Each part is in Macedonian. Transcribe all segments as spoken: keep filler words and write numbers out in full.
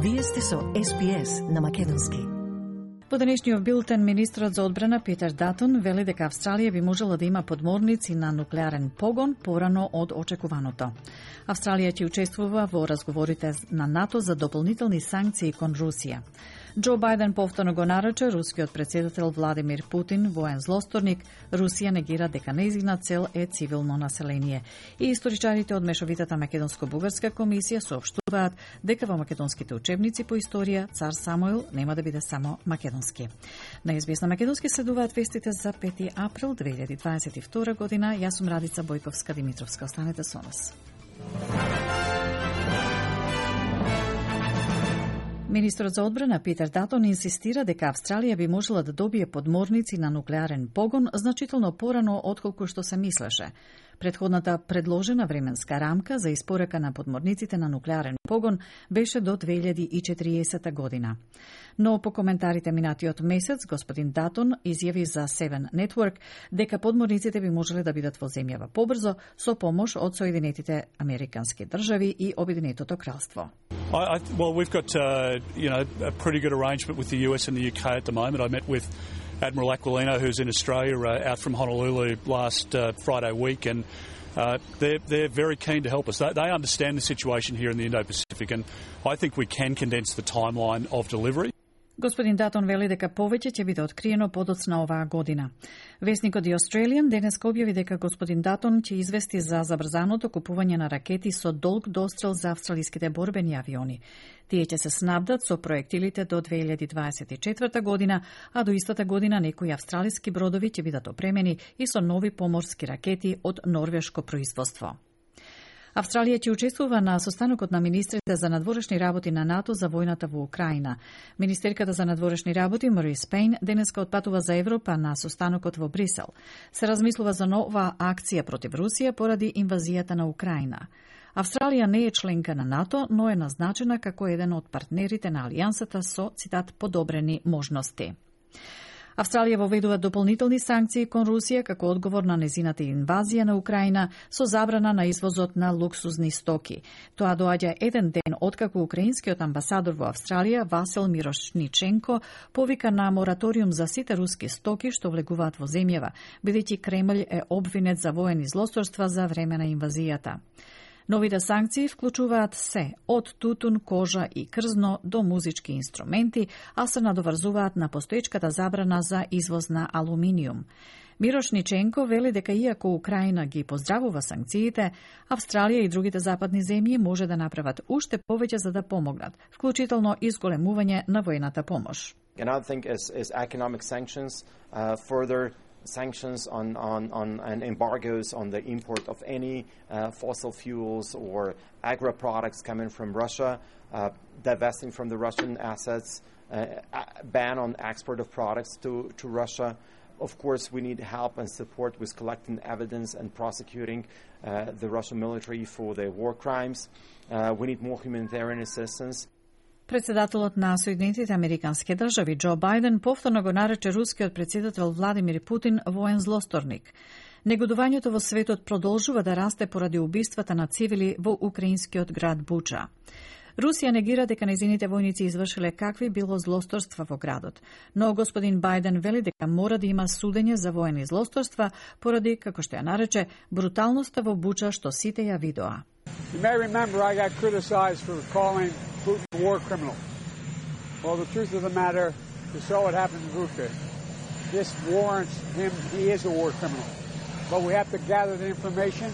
Вие сте со Ес Би Ес на македонски. Во денешниот билтен, министрот за одбрана Питер Датон вели дека Австралија би можела да има подморници на нуклеарен погон порано од очекуваното. Австралија ќе учествува во разговорите на НАТО за дополнителни санкции кон Русија. Џо Бајден повторно го нарече рускиот председател Владимир Путин воен злосторник. Русија негира дека нејзина цел е цивилно население. И историчарите од Мешовитата македонско-бугарска комисија соопштуваат дека во македонските учебници по историја цар Самуил нема да биде само македонски. На Ес Би Ес на македонски следуваат вестите за пети април две илјади дваесет и втора година. Јас сум Радица Бојковска-Димитровска. Останете со нас. Министрот за одбрана Питер Датон инсистира дека Австралија би можела да добие подморници на нуклеарен погон значително порано отколку што се мислеше. Предходната предложена временска рамка за испорака на подморниците на нуклеарен погон беше до две илјади и четириесета година. Но по коментарите минатиот месец, господин Датон изјави за Seven Network дека подморниците би можеле да бидат во земјава побрзо со помош од Соединетите Американски држави и Обединетото кралство. I, I, well, we've got uh, you know a pretty good arrangement with the U S and the U K at the moment. I met with Admiral Aquilino, who's in Australia, uh, out from Honolulu last uh, Friday week, and uh, they're, they're very keen to help us. They, they understand the situation here in the Indo-Pacific, and I think we can condense the timeline of delivery. Господин Датон вели дека повеќе ќе биде откриено подоцна оваа година. Весникот The Australian денеска објави дека господин Датон ќе извести за забрзаното купување на ракети со долг дострел за австралиските борбени авиони. Тие ќе се снабдат со проектилите до две илјади дваесет и четврта година, а до истата година некои австралиски бродови ќе бидат опремени и со нови поморски ракети од норвешко производство. Австралија ќе учествува на состанокот на министрите за надворешни работи на НАТО за војната во Украина. Министерката за надворешни работи Морис Пейн денеска отпатува за Европа на состанокот во Брисел. Се размислува за нова акција против Русија поради инвазијата на Украина. Австралија не е членка на НАТО, но е назначена како еден од партнерите на алијансата со, цитат, подобрени можности. Австралија воведува дополнителни санкции кон Русија како одговор на незината инвазија на Украина со забрана на извозот на луксузни стоки. Тоа доаѓа еден ден откако украинскиот амбасадор во Австралија Васил Мирошниченко повика на мораториум за сите руски стоки што влегуваат во земјава, бидејќи Кремљ е обвинет за воени злосторства за време на инвазијата. Новите санкции вклучуваат се, од тутун, кожа и крзно до музички инструменти, а се надоврзуваат на постоечката забрана за извоз на алуминиум. Мирошниченко вели дека иако Украина ги поздравува санкциите, Австралија и другите западни земји може да направат уште повеќе за да помогнат, вклучително изголемување на воената помош. Another thing is, is economic sanctions, uh, further sanctions on, on, on and embargoes on the import of any uh, fossil fuels or agro products coming from Russia, uh, divesting from the Russian assets, uh, ban on export of products to, to Russia. Of course, we need help and support with collecting evidence and prosecuting uh, the Russian military for their war crimes. Uh, we need more humanitarian assistance. Председателот на Соединетите Американски држави Џо Бајден повторно го нарече рускиот председател Владимир Путин воен злосторник. Негодувањето во светот продолжува да расте поради убиствата на цивили во украинскиот град Буча. Русија негира дека нејзините војници извршиле какви било злосторства во градот, но господин Бајден вели дека мора да има судење за воени злосторства поради, како што ја нарече, бруталноста во Буча што сите ја видоа. You may remember I got criticized for calling Putin a war criminal. Well, the truth of the matter is so what happened in Bucha. This warrants him, he is a war criminal. But we have to gather the information.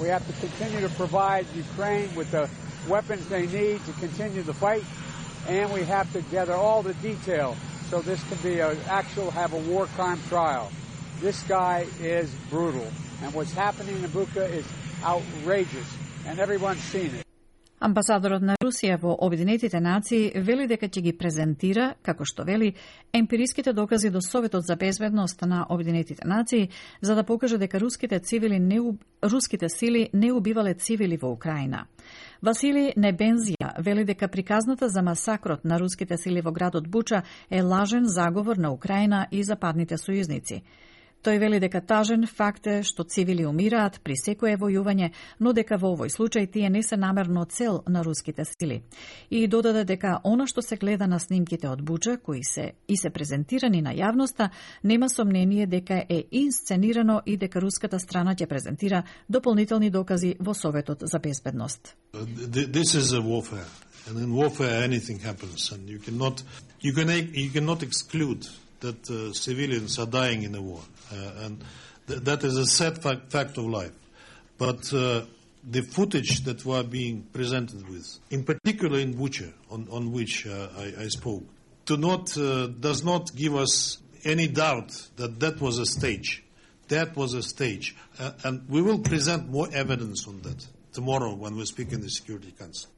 We have to continue to provide Ukraine with the weapons they need to continue the fight. And we have to gather all the detail so this can be an actual, have a war crime trial. This guy is brutal. And what's happening in Bucha is outrageous. And everyone's seen it. Амбасадорот на Русија во Обединетите нации вели дека ќе ги презентира, како што вели, емпириските докази до Советот за безбедност на Обединетите нации за да покаже дека руските цивили не руските сили не убивале цивили во Украина. Васили Небензија вели дека приказната за масакрот на руските сили во градот Буча е лажен заговор на Украина и западните сојузници. Тој вели дека тажен факт е што цивили умираат при секое војување, но дека во овој случај тие не се намерно цел на руските сили. И додаде дека она што се гледа на снимките од Буча, кои се и се презентирани на јавноста, нема сомнение дека е инсценирано и дека руската страна ќе презентира дополнителни докази во Советот за безбедност. This is a warfare, and in warfare anything happens, and you cannot you can you cannot exclude that uh, civilians are dying in a war, uh, and th that is a sad fact, fact of life. But uh, the footage that we are being presented with, in particular in Bucha, on, on which uh, I, I spoke, do not uh, does not give us any doubt that that was a stage. That was a stage, uh, and we will present more evidence on that tomorrow when we speak in the Security Council.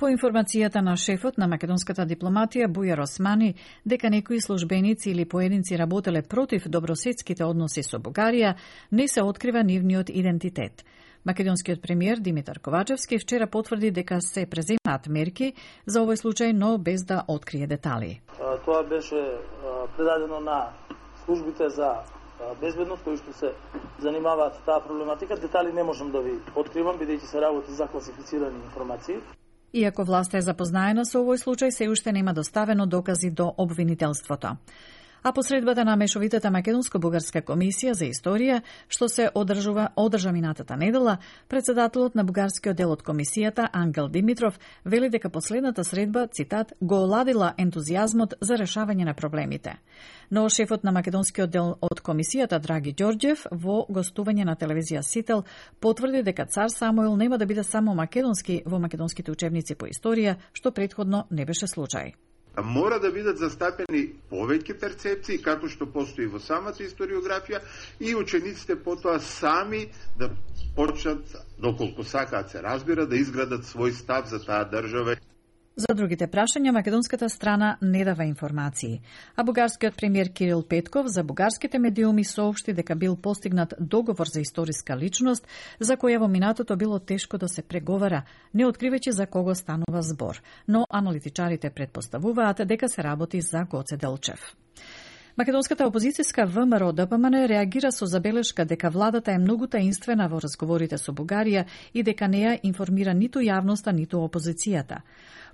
По информацијата на шефот на македонската дипломатија Бујар Османи, дека некои службеници или поединци работеле против добросетските односи со Бугарија, не се открива нивниот идентитет. Македонскиот премиер Димитар Ковачевски вчера потврди дека се преземаат мерки за овој случај, но без да открие детали. Тоа беше предадено на службите за безбедност кои што се занимаваат со таа проблематика. Детали не можам да ви откривам, бидејќи се работи за класифицирани информации. Иако власта е запознаена со овој случај, се уште нема доставено докази до обвинителството. А посредбата на мешовитата Македонско-бугарска комисија за историја, што се одржува одржа минатата недела, председателот на бугарскиот дел од комисијата Ангел Димитров вели дека последната средба, цитат, го оладила ентузијазмот за решавање на проблемите. Но шефот на македонскиот дел од комисијата Драги Ѓорѓев во гостување на телевизија Сител потврди дека цар Самуил нема да биде само македонски во македонските учебници по историја, што претходно не беше случај. Мора да бидат застапени повеќе перцепции, како што постои во самата историографија, и учениците потоа сами да почнат, доколку сакаат се разбира, да изградат свој став за таа држава. За другите прашања, македонската страна не дава информации, а бугарскиот премиер Кирил Петков за бугарските медиуми соопшти дека бил постигнат договор за историска личност, за која во минатото било тешко да се преговара, не откривајќи за кого станува збор, но аналитичарите предпоставуваат дека се работи за Гоце Делчев. Македонската опозицијска ВМРО Д П М Н реагира со забелешка дека владата е многу таинствена во разговорите со Бугарија и дека не ја информира ниту јавноста, ниту опозицијата.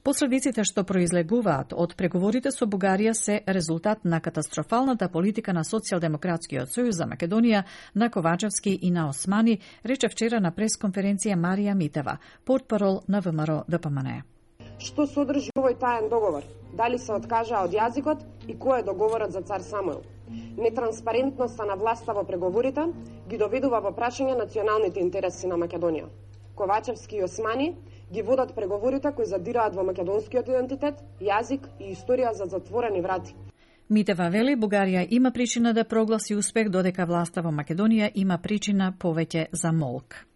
Последиците што произлегуваат од преговорите со Бугарија се резултат на катастрофалната политика на Социјалдемократскиот сојуз за Македонија, на Ковачевски и на Османи, рече вчера на пресконференција Марија Митева, портпарол на ВМРО Д П М Н. Што содржи овој таен договор? Дали се откажаа од јазикот и кој е договорот за цар Самуил? Нетранспарентноста на власта во преговорите ги доведува во прашање националните интереси на Македонија. Ковачевски и Османи ги водат преговорите кои задираат во македонскиот идентитет, јазик и историја за затворени врати. Митева вели Бугарија има причина да прогласи успех, додека власта во Македонија има причина повеќе за молк.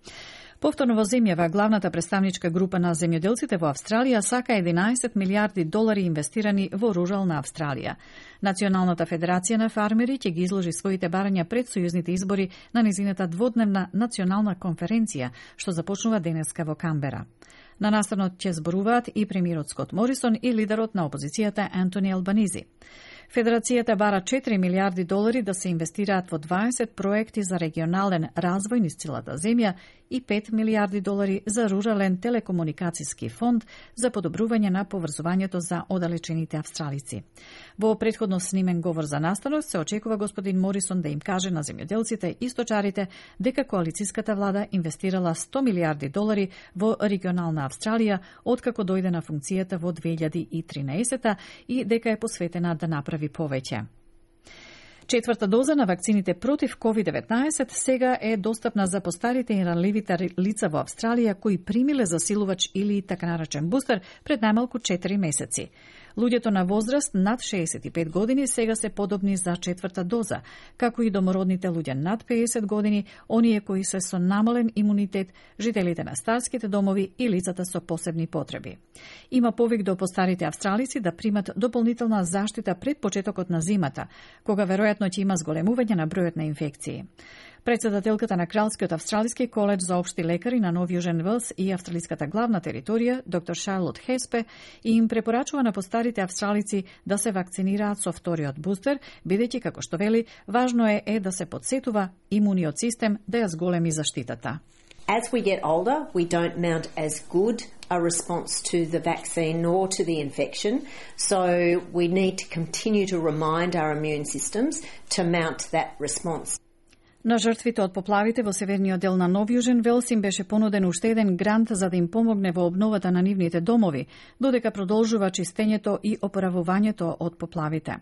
Повторно во земјава, главната представничка група на земјоделците во Австралија сака единаесет милиарди долари инвестирани во рурална Австралија. Националната федерација на фармери ќе ги изложи своите барања пред сојузните избори на незината дводневна национална конференција, што започнува денеска во Камбера. На настанот ќе зборуваат и премиерот Скот Морисон и лидерот на опозицијата Антони Албанизи. Федерацијата бара четири милиарди долари да се инвестираат во дваесет проекти за регионален развој низ целата земја и пет милиарди долари за рурален телекомуникацијски фонд за подобрување на поврзувањето за оддалечените австралици. Во претходно снимен говор за настанот се очекува господин Морисон да им каже на земјоделците и сточарите дека коалициската влада инвестирала сто милиарди долари во регионална Австралија откако дојде на функцијата во две илјади и тринаесета и дека е посветена да направи повеќе. Четврта доза на вакцините против ковид деветнаесет сега е достапна за постарите и ранливите лица во Австралија кои примиле засилувач или така наречен бустер пред најмалку четири месеци. Луѓето на возраст над шеесет и пет години сега се подобни за четврта доза, како и домородните луѓе над пеесет години, оние кои се со намален имунитет, жителите на старските домови и лицата со посебни потреби. Има повик до постарите австралици да примат дополнителна заштита пред почетокот на зимата, кога веројатно ќе има зголемување на бројот на инфекции. Председателката на Кралскиот австралиски коледж за општи лекари на Нов Јужен Велс и австралиската главна територија, доктор Шарлот Хеспе, им препорачува на постарите австралици да се вакцинираат со вториот бустер, бидејќи, како што вели, важно е, е да се подсетува имуниот систем да ја зголеми заштитата. As we get older, we don't mount as good a response to the vaccine nor to the infection, so we need to continue to remind our immune systems to mount that response. На жртвите од поплавите во северниот дел на Нов Јужен Велс им беше понуден уште еден грант за да им помогне во обновата на нивните домови, додека продолжува чистењето и опоравувањето од поплавите.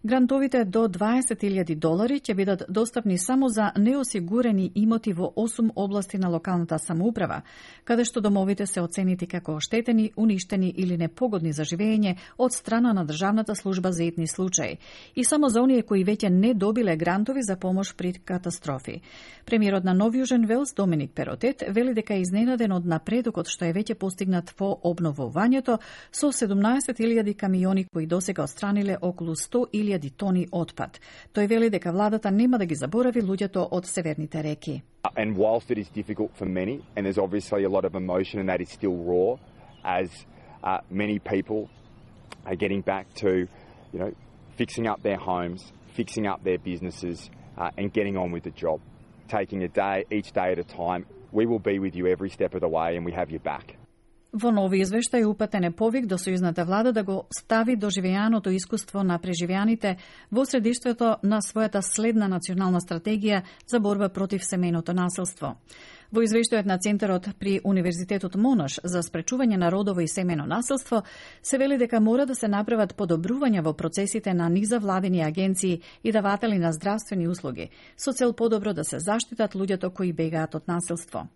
Грантовите до дваесет илјади долари ќе бидат достапни само за неосигурени имоти во осум области на локалната самоуправа, каде што домовите се оценети како оштетени, уништени или непогодни за живење од страна на Државната служба за итни случаи, и само за оние кои веќе не добиле грантови за помош при катастрофи. Премиерот на Нов Јужен Велс, Доминик Перотет, вели дека е изненаден од напредокот што е веќе постигнат во обновувањето со седумнаесет илјади камиони кои досега отстраниле околу сто илјади тони отпад. Тој вели дека владата нема да ги заборави луѓето од северните реки. And whilst it is difficult for many, and there's obviously a lot of emotion and that is still raw, as uh, many people are getting back to, you know, fixing up their homes, fixing up their businesses, uh, and getting on with the job. Taking a day, each day at a time. We will be with you every step of the way and we have your back. Во нови извештај упатен е повик до сојузната влада да го стави доживеаното искуство на преживеаните во средиштето на својата следна национална стратегија за борба против семејното насилство. Во извештајот на Центарот при Универзитетот Монаш за спречување на родово и семејно насилство се вели дека мора да се направат подобрувања во процесите на низавладени агенции и даватели на здравствени услуги, со цел подобро да се заштитат луѓето кои бегаат од насилство.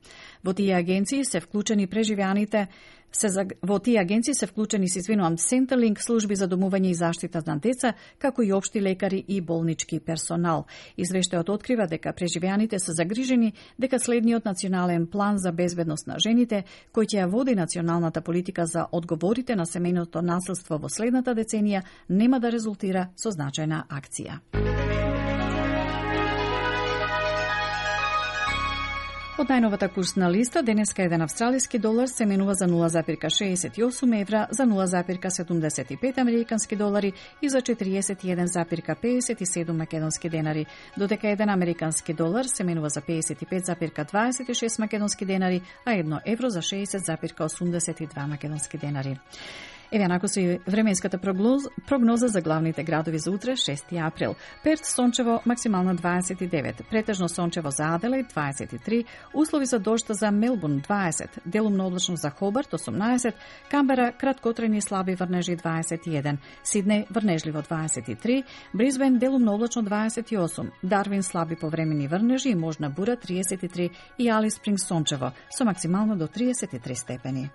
Во тие агенции се вклучени преживеаните Се за... Во тие агенции се вклучени, се извинувам, Centerlink, служби за домување и заштита на деца, како и општи лекари и болнички персонал. Извештајот открива дека преживеаните се загрижени дека следниот национален план за безбедност на жените, кој ќе ја води националната политика за одговорите на семејното насилство во следната деценија, нема да резултира со значајна акција. Од најновата курсна листа, денеска еден австралиски долар се менува за нула запирка шеесет и осум евра, за нула запирка седумдесет и пет американски долари и за четириесет и еден запирка пеесет и седум македонски денари, додека еден американски долар се менува за пеесет и пет запирка дваесет и шест македонски денари, а едно евро за шеесет запирка осумдесет и два македонски денари. Еве нако со и временската прогноз, прогноза за главните градови за утре, шести април. Перт сончево, максимално дваесет и девет, претежно сончево за Аделаид дваесет и три, услови за дожд за Мелбурн дваесет, делумно облачно за Хобарт осумнаесет, Камбера краткотрени слаби врнежи дваесет и еден, Сиднеј врнежливо дваесет и три, Брисбен делумно облачно дваесет и осум, Дарвин слаби повремени врнежи и можна бура триесет и три и Алис Спрингс сончево со максимално до триесет и три степени.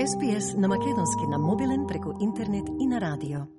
Ес Би Ес на македонски на мобилен преку интернет и на радио.